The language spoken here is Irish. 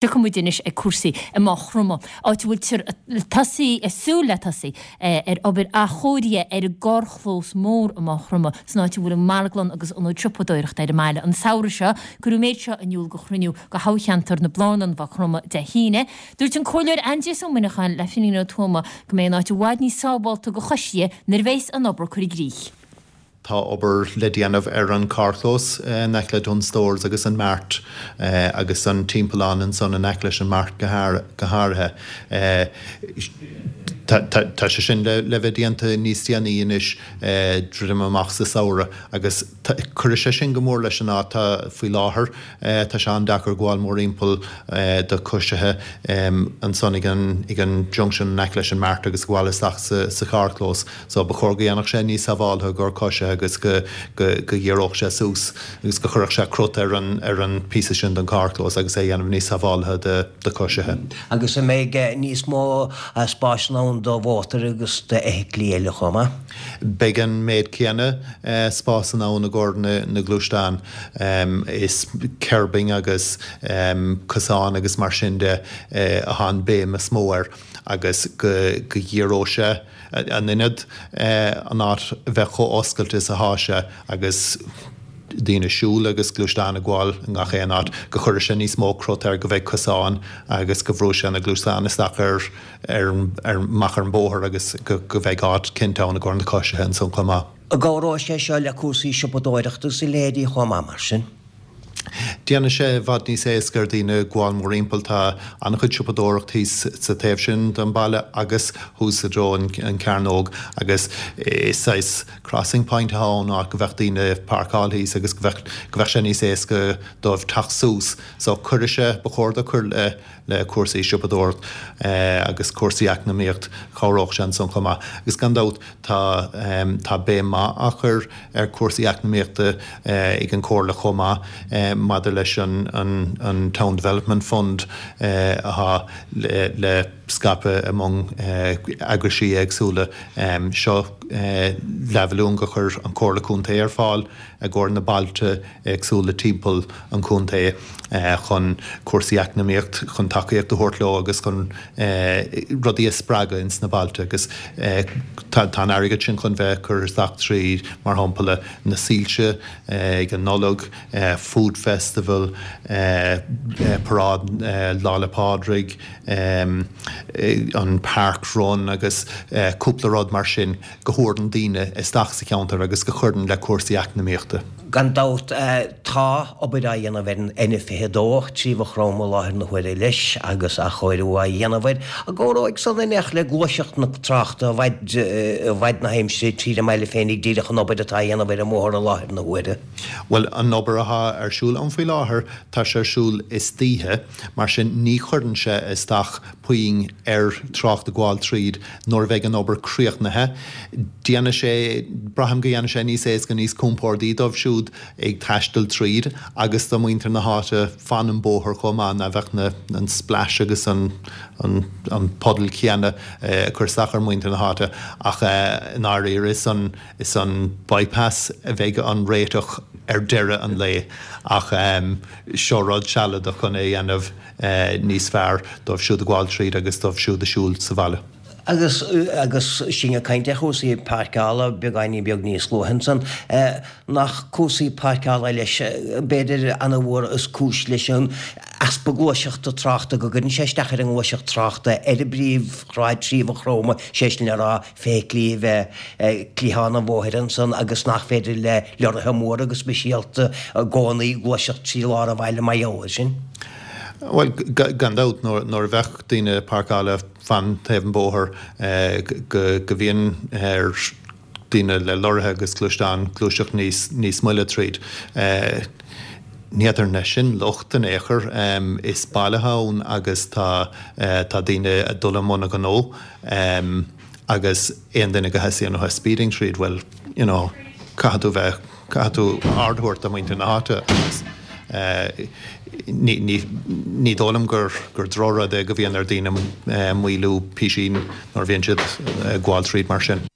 Tiocfaidh muid anois ag cúrsaí i Maigh Chromtha, áit a bhfuiltear ag tosaí, ag súil le tosaí ar obair athchóirithe ar an gcarrchlós mór i Maigh Chromtha, san áit a bhfuil an marglann agus ionad siopadóireachta ar an mbaile. An samhradh seo, cuireadh an méid seo in iúl go chruinniú de thoghcheantar na Blárnan, Mhaigh Chromtha Dé hAoine. Dúirt an Comhairleoir Aindrias Ó Muineacháin le Finghin Ó Tuama go mbeidh an áit i bhfad níos sábhálta do choisithe nuair a bheas an obair curtha i gcrích. Tá obair le déanamh ar an carrchlós in aice le Dunnes Stores agus an Mart agus an timpeallán ansan in aice leis an Mart go háirithe. Tá sé sin le bheith déanta níos déanaí anois, druidim amach sa samhradh agus cuirfidh sé sin go mór leis an áit. Tá faoi láthair, tá sé an-deacair gabháil mórthimpeall do choisithe ansan ag an junction in aice leis an Mart agus gabháil isteach sa charrchlós. So ba chóir go dhéanfadh sé níos sábháltha i gcomhair coisithe agus go go ghiorródh sé suas agus go chuirfeadh sé crot ar an ar an píosa sin den carrchlós agus é a dhéanamh níos sábháltha do do choisithe. Agus an mbeidh níos mó spásanna ann do mhótair agus d'fheithiclí eile chomh maith? Beidh an méid céanna spásanna ann i gcomhair na na gluaisteán. Is curbing agus cosáin agus mar sin de atá an béim is mó air agus go go ghiorródh sé in ionad an áit a bheith chomh oscailte is atá sé agus daoine ag siúl agus gluaisteáin ag gabháil i ngach aon áit, go gcuirfidh sé níos mó crot air, go mbeidh cosáin agus go bhrúfaidh sé na gluaisteáin isteach ar ar amach ar an bóthar agus go go mbeidh áit cinnte ann i gcomhair na coisithe ansan chomh maith. An gcabhróidh sé seo le cúrsaí siopadóireachta agus a leithéidí chomh maith mar sin? Déanfaidh sé i bhfad níos éasca ar daoine gabháil mórthimpeall. Tá an-chuid siopadóireacht thíos sa taobh sin den baile agus thuas i dtreo an cearnóg agus is saghas crossing point atá ann, áit go bheadh daoine ag páirceáil thíos agus go bheadh go bheadh sé níos éasca dóibh teacht suas. So cuirfidh sé, ba chóir dó cur le le cúrsaí siopadóireacht agus cúrsaí eacnamaíocht, chabhródh sé ansan chomh maith. Agus gan dabht tá tá béim maith á chur ar cúrsaí eacnamaíochta ag an Chomhairle chomh maith maidir leis an an an Town Development Fund atá le le scaipeadh i mbun eagraisí éagsúla. Seo leathmhilliún gur chuir an Chomhairle Contae ar fáil i gcomhair na bailte éagsúla timpeall an chontae chun cúrsaí eacnamaíocht, chun tacaíocht a thabhairt leo agus chun rudaí a spreagadh ins na bailte agus tá an airgead sin chun bheith curtha isteach tríd, mar shampla, na soilse ag an Nollaig, Food Festival, Paráid Lá 'le Pádraig, an Park Run agus cúpla rud mar sin. go thabharann daoine isteach sa cheantar agus go chuireann le cúrsaí eacnamaíochta. Gan dabht, tá obair á dhéanamh ar an N22 trí Mhaigh Chromtha i láthair na huaire leis agus athchóiriú á dhéanamh air. An gcabhróidh san in éineacht le gluaiseacht na tráchta i bhfad i bhfad na haimsire tríd an mbaile féinig díreach an obair atá á dhéanamh ar an mbóthar i láthair na huaire? Bhuel, an obair atá ar siúl ann faoi láthair, tá sé ar siúl istoíche, mar sin ní chuireann sé isteach puinn ar trácht ag gabháil tríd nuair a bheidh an obair críochnaithe. Déanfaidh sé, braithim go dhéanfaidh sé níos éasca, níos compórdaí dóibh siúd ag taisteal tríd agus do mhuintir na háite fan an bóthar chomh maith, ná bheadh na, an splash agus an, an, an puddle céanna ag cur isteach ar mhuintir na háite ach i ndáiríre is an, is an bypass a bheidh an réiteach ar deireadh an lae ach seo rud sealadach chun é a dhéanamh. níos fearr dóibh siúd ag gabháil tríd agus dóibh siúd ag siúl sa bhaile. Agus agus sinn ag caint ar chúrsaí páirceála beagáinín beag níos luaithe ansan, nach cúrsaí páirceála leis, b'fhéidir ana-mhór is cúis leis an easpa gluaiseachta tráchta, go gcuireann sé isteach ar an ngluaiseacht tráchta ar an bpríomhshráid trí Mhaigh Chromtha, sé sin le rá, feithiclí a bheith ag cliathán an bhóthair ansan agus nach féidir le leoraithe móra go speisialta i gcónaí gluaiseacht trí lár an bhaile mar gheall air sin. Bhuel, gan dabht, nuair a bheadh daoine páirceáilte fan taobh an bhóthair go mbíonn ar daoine le lorraithe agus gluaisteáin gluaiseacht níos moille tríd. Ní fhéadfar ná sin locht in aon chor. Is baile atá ann agus tá daoine ag dul i mbun a ghnó. Agus aon duine go thosaíonn uathu speeding tríd, bhuel, you know, caithfidh tú bheith, caithfidh tú aird a thabhairt do mhuintir na háite agus ní, ní, ní dóigh liom gur, gur drochrud é go mbíonn ar daoine maolú písín nuair a bhíonn siad ag gabháil tríd mar sin.